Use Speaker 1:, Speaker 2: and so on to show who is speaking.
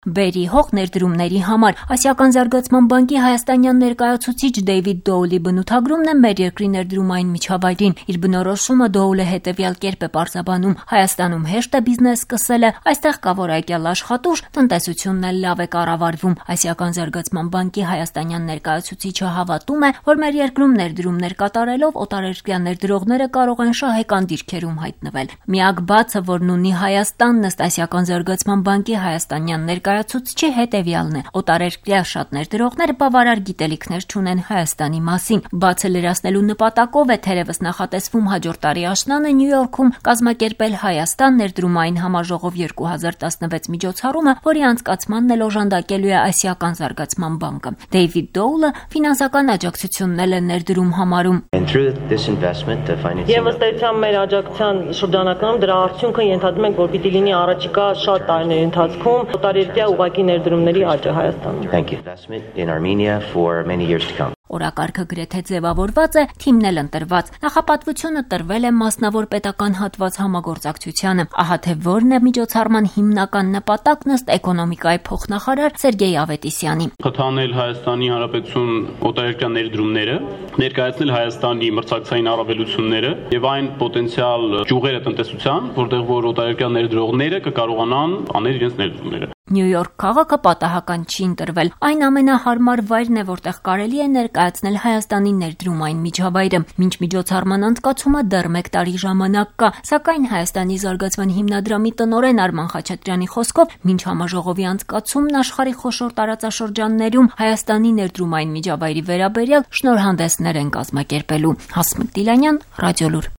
Speaker 1: Բերի հող ներդրումների համար Ասիական զարգացման բանկի հայաստանյան ներկայացուցիչ Դեյվիդ Դոուլի բնութագրումն է մեր երկրի ներդրումային միջավայրին։ Իր բնորոշումը Դոուլը հետևյալ կերպ է պարզաբանում. Հայաստանում հեշտ է բիզնես սկսելը, այստեղ կա որակյալ աշխատուժ, տնտեսությունն էլ լավ է կառավարվում։ Ասիական զարգացման բանկի հայաստանյան ներկայացուցիչը հավատում է, որ մեր երկրում ներդրումներ կատարելով օտարերկրյա ներդրողները կարող են շահեկան դիրքերում հայտնվել։ Միակ բացը, որն ունի Հայաստանն ըստ Ասիական զարգացման բանկի հայաստանյան ներկայացուցչի հետևյալն է. օտարերկրյա շատ ներդրողներ բավարար գիտելիքներ չունեն Հայաստանի մասին։ Բացը լրացնելու նպատակով է թերևս նախատեսվում հաջորդ տարի աշնանը Նյու Յորքում կազմակերպել Հայաստան ներդրումային համաժողով 2016 միջոցառումը, որի անցկացմանն էլ օժանդակելու է Ասիական զարգացման բանկը։ Դեյվիդ Դոուլը ֆինանսական աջակցությունն է ներդրում համարում։
Speaker 2: Եվ ըստ էության մեր աջակցության շրջանակում դրա արդյունքը ենթադրում ենք, որ պիտի լինի առաջիկա շատ տարիների ընթացքում օտարերկրյա ուղղակի ներդրումների աճը Հայաստանում։
Speaker 1: Օրակարգը գրեթե ձևավորված է, թիմն էլ ընտրված։ Նախապատվությունը տրվել է մասնավոր պետական հատված համագործակցությանը։ Ահա թե որն է միջոցառման հիմնական նպատակն ըստ էկոնոմիկայի փոխնախարար Սերգեյ Ավետիսյանի։
Speaker 3: Խթանել Հայաստանի Հանրապետություն օտարերկրյա ներդրումները, ներկայացնել Հայաստանի մրցակցային առավելությունները եւ այն պոտենցիալ ճյուղերը տնտեսության, որտեղ որ օտարերկրյա ներդրողները կկարողանան անել իրենց ներդրումները։
Speaker 1: Նյու Յորք քաղաքը պատահական չի ընտրվել։ Այն ամենահարմար վայրն է, որտեղ կարելի է ներկայացնել Հայաստանի ներդրումային միջավայրը։ Մինչ միջոցառման անցկացումը դեռ 1 տարի ժամանակ կա, սակայն Հայաստանի զարգացման հիմնադրամի տնօրեն Արման Խաչատրյանի խոսքով, մինչ համաժողովի անցկացումն աշխարհի խոշոր տարածաշրջաններում Հայաստանի ներդրումային միջավայրի վերաբերյալ շնորհանդեսներ են կազմակերպելու։ Հասմիկ Դիլանյան, Ռադիոլուր։